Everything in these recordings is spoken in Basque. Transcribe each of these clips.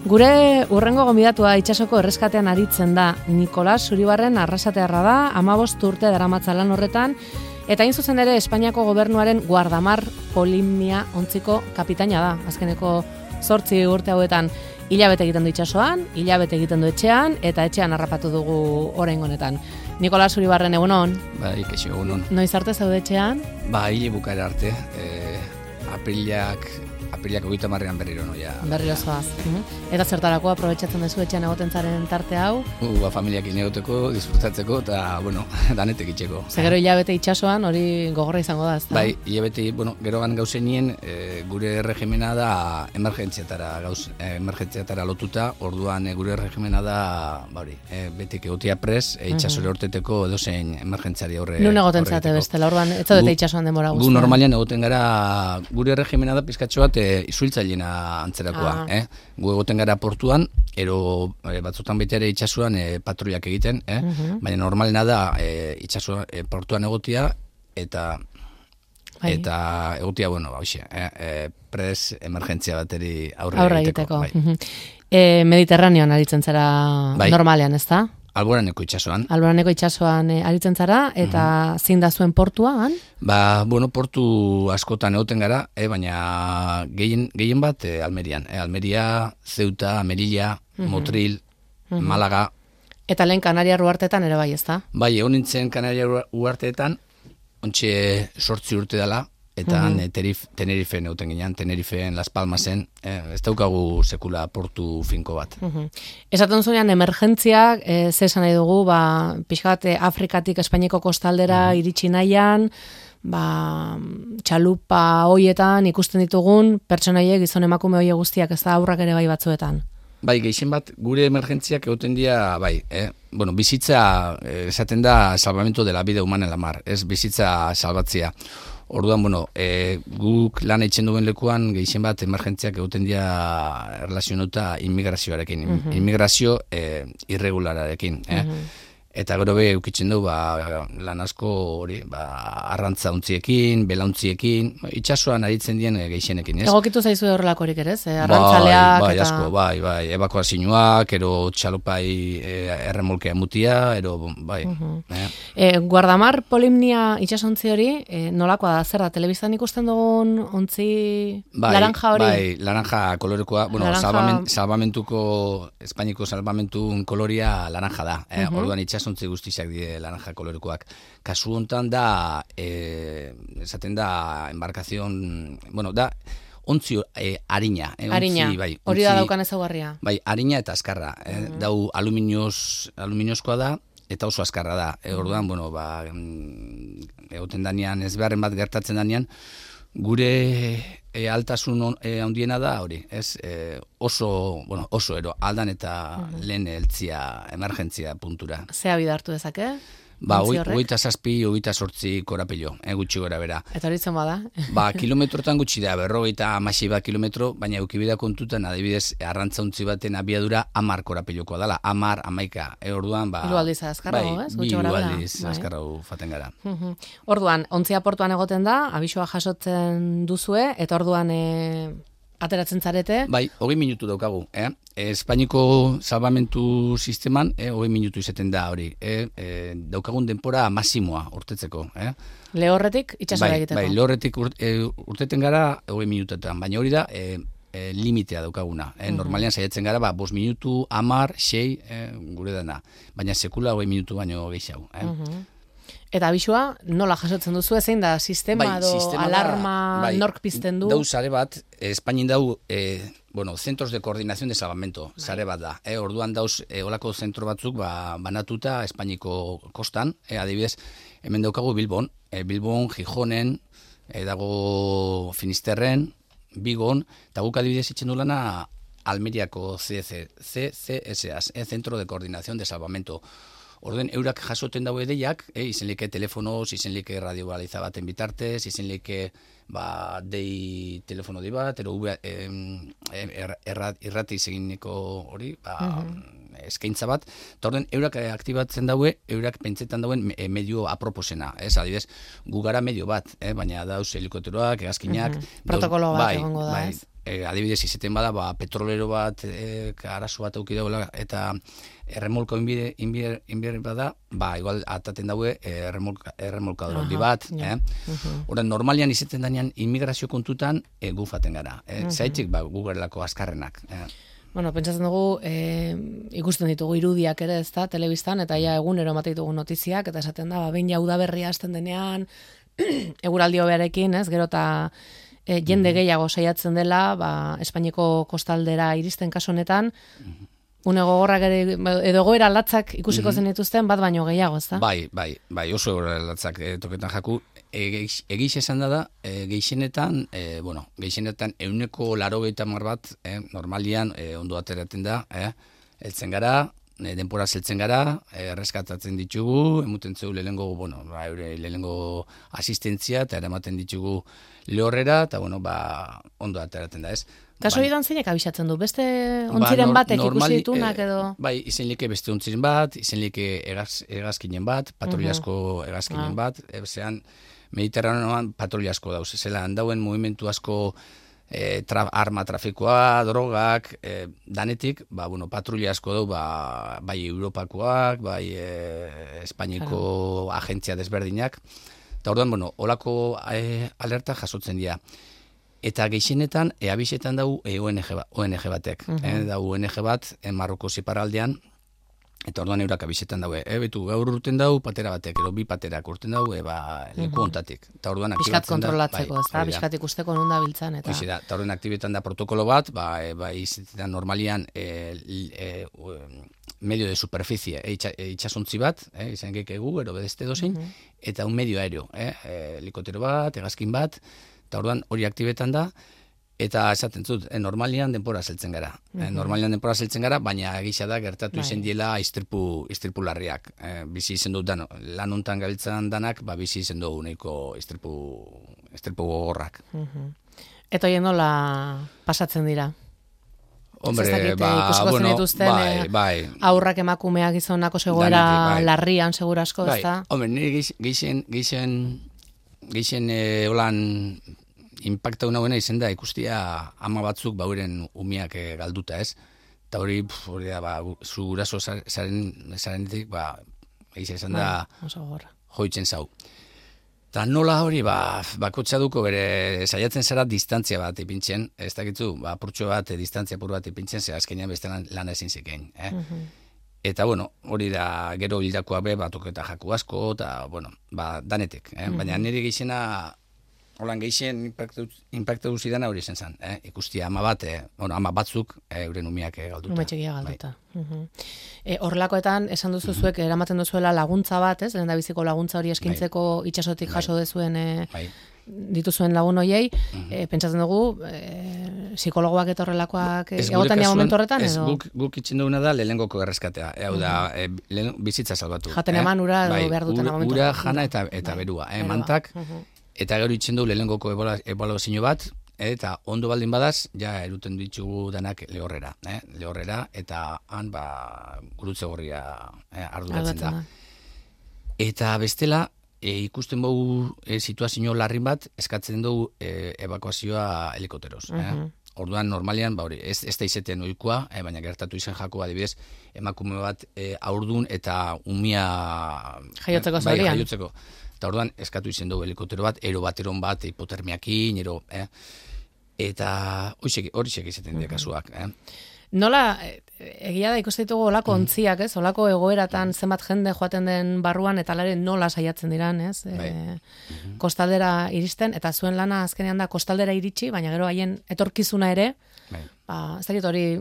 Gure urrengo gonbidatua itsasoko erreskatean aritzen da. Nikolas Zuribarren arrasatearra da, 15 urte daramatza lan horretan, eta hain zuzen ere Espainiako gobernuaren guardamar polimnia ontziko kapitaina da. Azkeneko 8 urte hauetan hilabete egiten du itsasoan, hilabete egiten du etxean, eta etxean harrapatu dugu oraingo honetan. Nikolas Zuribarren, egunon? Bai, keixo, egunon. Noiz arte zaude etxean? Ba, hile bukaera arte. Aprilak 30ean berriro noia. Berriro zoaz. Eta zertarako aprobetxatzen duzu etxean egoten zaren tarte hau? Familiakin egoteko, disfrutatzeko eta, danetek itxeko. Gero hilabete itsasoan hori gogorra izango da, ezta? Bai, hilabete, gerogan gauzenien gure regimena da emergentziatara lotuta, orduan gure regimena da, betik egotia pres, itsasore horteteko edozein emergentziari aurre. Nun egoten zate bestela, orduan, ez zaudete itsasoan denbora guztian? Gu normalian egoten gara, gure regimena da pizkatxo bat izuiltzailena antzerakoa. Gu egoten gara portuan, ero batzutan baita ere itsasoan patruiak egiten, baina normalena da portuan egotia eta egotia, pres emergentzia bateri aurre egiteko. Mediterraneoan aritzen zara normalean, ez da? Alboraneko itsasoan. Alboraneko itsasoan aritzen zara, eta zein da zuen portuan? Portu askotan egoten gara, baina gehien bat Almerian. Almeria, Ceuta, Melilla, Motril, Malaga. Eta lehen Kanaria Uharteetan ere bai, ezta? Bai, egon nintzen Kanaria Uharteetan, ontxe 8 urte dela, eta Tenerifen egoten ginean, Tenerifen, Las Palmasen, ez daukagu sekula portu finko bat. Esaten zuenean, emergentziak, ze esan nahi dugu, pixkat Afrikatik Espainiako kostaldera iritsi nahian, txalupa hoietan ikusten ditugun, pertsonaiek, gizon emakume hoie guztiak, ez da aurrak ere bai batzuetan. Bai, gehien bat, gure emergentziak egoten dira, bizitza, esaten da, salvamento de la vida humana en la mar, ez bizitza salbatzia. Orduan, guk lan eitzen duen lekuan, gehien bat, emergentziak egoten dira relazionauta immigrazioarekin, immigrazio irregulararekin. Eta gero eukitzen du, lan asko hori, arrantza untziekin, belauntiekin, itsasoan aritzen dien gehienekin, ez? Egokitu zaizu horrelakorik ere, arrantzaleak eta... Asko, ebakuazioak, ero txalopai erremolkea mutia, ero, Guardamar polimnia itsasontzi hori, nolakoa da, zer da, telebistan ikusten dugun ontzi laranja hori? Bai, laranja kolorekoa, salvamentuko, Espainiko salvamentun koloria laranja da, orduan itsasontzi guztizak die laranja kolorekoak. Kasu hontan da, esaten da, embarkazion, da, ontzi harina. Harina, hori da daukan ezaugarria. Bai, harina eta azkarra. Dau aluminiozkoa da, eta oso azkarra da. Orduan, egoten danean, ez beharren bat gertatzen danean, gure altasun handiena da hori, ez? Oso ero, aldan eta lehen eltzia, emergentzia puntura. Zea bidartu dezake? 27-28 korapilo, gutxi gora bera. Eta hori zen bada? Kilometrotan gutxi da, 50 kilometro, baina eukibida kontutan, adibidez, arrantzauntzi baten abiadura 10 korapilokoa dela, 10-11. Orduan, hiru aldiz azkarrago, ez? Hiru aldiz azkarrago faten gara. Orduan, ontzia portuan egoten da, abisua jasotzen duzue, eta orduan ateratzen zarete? Bai, 20 minutu daukagu, Espainiko salvamentu sisteman, 20 minutu izaten da hori, daukagun denpora masimoa urtetzeko, Lehorretik itxasora egiteko? Bai, lehorretik urteten gara 20 minutetan, baina hori da limitea daukaguna. Normalian saiatzen gara, 5 minutu, 10, 6, gure dana, baina sekula 20 minutu baino gehiago. Eta abisua, nola jasotzen duzu, zein da, sistema alarma nork pizten du? Dau sare bat, Espainin dau, centros de coordinación de salvamento, sare bat da. Orduan dauz, olako zentro batzuk banatuta Espainiko kostan, adibidez, hemen daukagu Bilbon, Gijonen, dago Finisterren, Bigon, eta guk adibidez itzen du lana Almeriako CCSAS, Centro de Coordinación de Salvamento. Orden eurak jasoten dago edeiak, izenlike telefonoz, izenlike radiobaliza baten bitartez, izenlike dei telefono di bat, ero irrati eginiko hori, eskaintza bat, eta orden eurak aktibatzen daue, eurak pentsetan dauen medio aproposena, adibidez, gu gara medio bat, baina dauz helikopteroak, hegazkinak, protokolo bat egongo da, ez? adibidez izaten bada, petrolero bat, arazo bat auki dagoela, eta erremolko inbier bada, igual ataten daue erremolkador handi bat. Horan, normalian izaten danean immigrazio kontutan gufaten gara. Zaitik, gugerlako azkarrenak. Bueno, pentsatzen dugu, ikusten ditugu irudiak ere, ez da, telebistan, eta ja egunero ematen ditugu notiziak, eta esaten da, behin jau udaberria hasten denean, eguraldi hobearekin, ez, gero eta jende gehiago saiatzen dela, Espainiako kostaldera iristen kasu honetan, une gogorrak edo egoera latzak ikusiko zen dituzten, bat baino gehiago, ez da? Bai, oso egoera latzak toketan jaku. Egiz esan da, gehienetan 180 bat, normalian ondo ateratzen da, heltzen gara, denpora zeltzen gara, erreskatatzen ditugu, emuten zeu lehenengo asistentzia, eta eramaten ditugu lehorrera, eta ondo ateratzen da, ez? Kaso idan zeinek abisatzen du? Beste ontziren batek ikusi ditunak edo? Bai, izen like beste ontziren bat, izen like hegazkinen bat, patruliasko hegazkinen bat, zean Mediterraneoan patruliasko dauz, zela handauen movimentu asko arma trafikoa, drogak, danetik, patrulia asko dau, bai Europakoak, bai Espainiako agentzia desberdinak, eta orduan, holako alerta jasotzen dira. Eta gehienetan, abisetan dau ONG batek. Da ONG bat, Marroko ziparraldean, eta orduan eurak abisetan daue. Betu, gaur urten dau, patera batek, ero bi paterak urten dau, leku ontatik. Biskat kontrolatzeko, ez da? Biskat ikusteko non da biltzan. Eta orduan aktibetan da protokolo bat, izatetan normalian medio de superficie, itxasontzi bat, izan gekegu, ero bedeste dozein, eta un medio aéreo, helikotero bat, hegazkin bat, eta orduan hori aktibetan da, eta esaten zut, normalian denpora zeltzen gara. Baina egisa da gertatu izen diela istripu larriak. Bizi izen dut lan hontan gabiltzan danak, bizi izen dugu nahiko istripu gogorrak. Eta hori nola pasatzen dira? Hombre, bai. Aurrak emakumeak gizonako zegoera larrian, segura asko, ez da? Hombre, nire geixen holan impacta una izen da ikustia ama batzuk bauren umiak galduta, ez? Eta hori da, zu guraso zarenetik, egizia esan da, joitzen zau. Eta nola hori, bakotxa duko bere saiatzen zara distantzia bat ipintzen, ez dakitzu, apurtxo bat, distantzia apur bat ipintzen, ze azkenean beste lana ezin zikein. Eta, hori da gero hildakoa batuketa jaku asko, eta, danetik. Baina nire gizena, holan gehien impacta duzidana hori zen zen. Ikustia ama bat, ama batzuk euren umiak galduta. Umetxekia galduta. Horrelakoetan, esan duzu zuek, eramaten duzuela laguntza bat, ez? Lehen da biziko laguntza hori eskintzeko itxasotik jaso dezuen dituzuen lagun hoiei, pentsatzen dugu, psikologoak eta horrelakoak egotan dira momentu horretan, edo? Guk itxen duguna da lehengoko erreskatea. Hau da, bizitza salbatu. Jaten eman ura edo behar duten momentu. Ura, jana eta berua. Mantak, eta gero itxen du lehengoko ebaluazio bat, eta ondo baldin badaz, ja eruten ditugu danak lehorrera. Lehorrera, eta han gurutze gorria arduratzen da. Eta bestela, ikusten dugu situazio larrin bat, eskatzen dugu evakuazioa helikoteroz. Orduan, normalian, ez da izaten ohikoa, baina gertatu izan jako adibidez, emakume bat haurdun eta umia jaiotzeko zaurian. Jaiotzeko. Eta orduan, eskatu izen dugu helikotero bat, erobateron bat, hipotermiakin, eta hori xek izaten dira kasuak. Nola, egia da ikusten ditugu olako ontziak, ez? Olako egoeratan zenbat jende joaten den barruan, eta lare nola saiatzen diran, ez? Kostaldera iristen, eta zuen lana azkenean da kostaldera iritsi, baina gero haien etorkizuna ere, ez dakit hori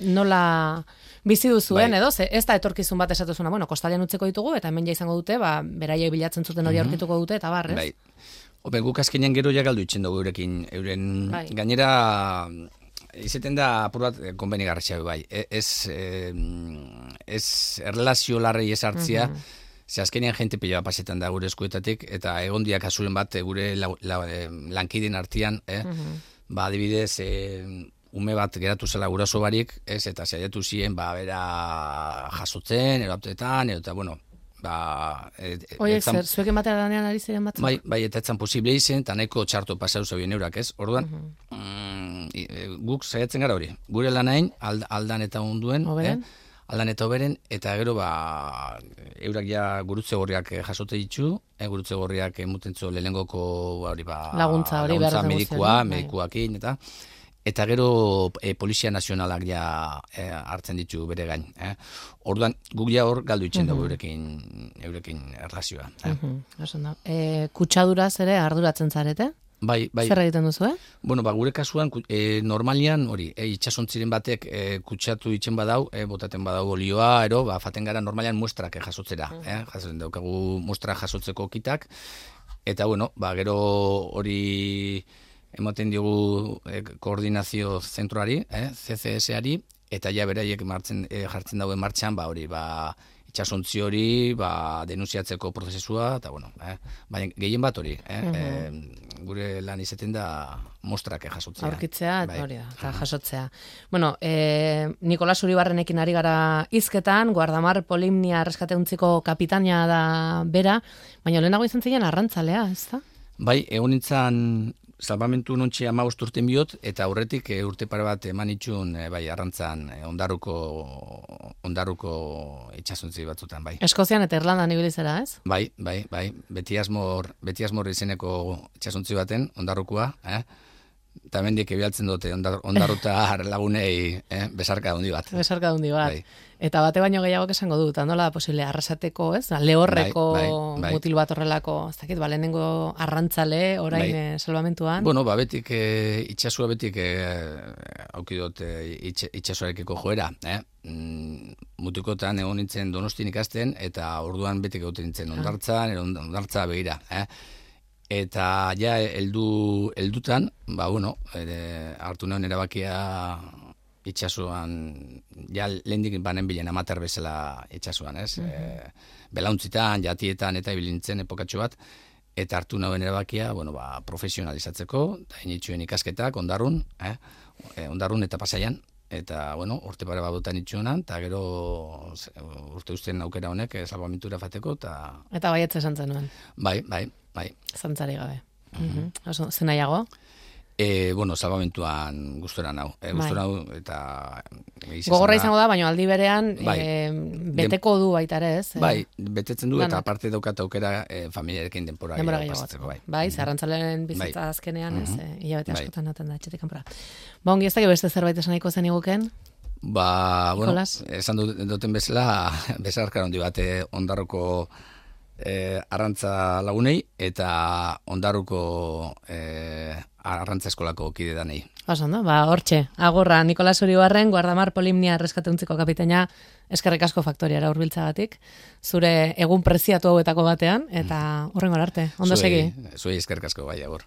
nola bizi duzuen, edo? Ez da etorkizun bat esatuzuna, kostalean utzeko ditugu, eta hemen ja izango dute, beraiek bilatzen zuten hori aurkituko dute, eta ez? Bai, guk azkenean gero ja galdu itzen dugu euren gainera... Izaten da apur bat konbenigarria bai. Ez erlazio larrei ez hartzia, ze azkenean jente pila pasetan da gure eskuetatik, eta egondiak kasuren bat gure lankideen artean, adibidez, ume bat geratu zela guraso barik, eta saiatu ziren, bera jasotzen, eraptetan, eta, Oiek zer, zuek ematea danean ari ziren batzuk? Bai, eta etzan posible izen, eta nahiko txarto pasau zauen eurak, ez? Orduan, guk saiatzen gara hori. Gure lanain aldan eta onduen, aldan eta oberen, eta gero eurak ja gurutze gorriak jasote ditu, gurutze gorriak mutentzo lehenengoko laguntza medikuakin, eta gero Polizia Nazionalak ja hartzen ditu bere gain. Orduan, guk ja hor galdu itzen dugu eurekin erlazioa. Kutsaduraz ere arduratzen zarete? Bai. Zer egiten duzu, Bueno, gure kasuan, normalian, hori, itxasontziren batek kutsatu itzen badau, botaten badau olioa, faten gara normalian muestrak jasotzera. Jasotzen daukagu muestra jasotzeko kitak, eta, bueno, gero hori ematen diogu koordinazio zentroari, CCS-ari, eta ja beraiek jartzen dauen martxan, hori, itxasontzi hori, denunciatzeko prozesua, eta, bueno, baina gehien bat hori, gure lan izaten da mostrak jasotzea. Aurkitzea, hori da, eta jasotzea. Bueno, Nikolas Uribarrenekin ari gara hizketan, Guardamar Polimnia erreskateuntziko kapitaina da bera, baina lehenago izan ziren arrantzalea, ez da? Bai, egon nintzen salbamentu nontxe 15 urten bihot, eta aurretik urte pare bat eman itxun arrantzan ondaruko itxasontzi batzutan, bai. Eskozian eta Irlandan ibilizera, ez? Bai, beti asmor izeneko itxasontzi baten, ondarrukoa, eta mendik ebialtzen dute ondarruta lagunei besarka handi bat. Besarka handi bat. Bai. Eta bate baino gehiago esango dut, nola posible arrasateko, ez? Lehorreko mutil bat horrelako, ez dakit, lehenengo arrantzale orain salbamentuan. Bueno, betik itxasua betik aukidot itxasuarekiko joera, Mutikotan egon nintzen Donostin ikasten, eta orduan betik egoten nintzen ondartza begira, Eta ja heldutan, hartu neuen erabakia itxasuan, ja lehendik banen bilen amater bezala itxasuan, ez? Belauntzitan, jatietan eta ibilintzen epokatxo bat, eta hartu neuen erabakia, profesionalizatzeko, eta initxuen ikasketak, ondarrun eta Pasaian, eta, urte pare badotan itxuenan, eta gero urte usten aukera honek salbamentura fateko, eta baietze esan zenuen. Bai. Zantzari gabe. Zer nahiago? Salbamentuan gustora nau. Eta... Gogorra izango da, baina aldi berean beteko du baita ere, ez? Bai, betetzen du, eta aparte daukat aukera familiarekin denpora gehiago. Bai, zerrantzalen bizitza azkenean, ez? Hilabete askotan naten da, etxetik kanpora. Ongi ez da, beste zerbait esan nahiko zen iguken? Esan duten bezala, bezarkar handi bat, ondarroko arrantza lagunei, eta ondarruko arrantza eskolako kide danei. Ondo, hortxe, agurra, Nikolas Uribarren, Guardamar Polimnia erreskateuntziko kapitaina, eskerrik asko faktoriara hurbiltzagatik, zure egun preziatu hauetako batean, eta hurrengo arte, ondo segi. Zuei eskerrik asko, bai, agur.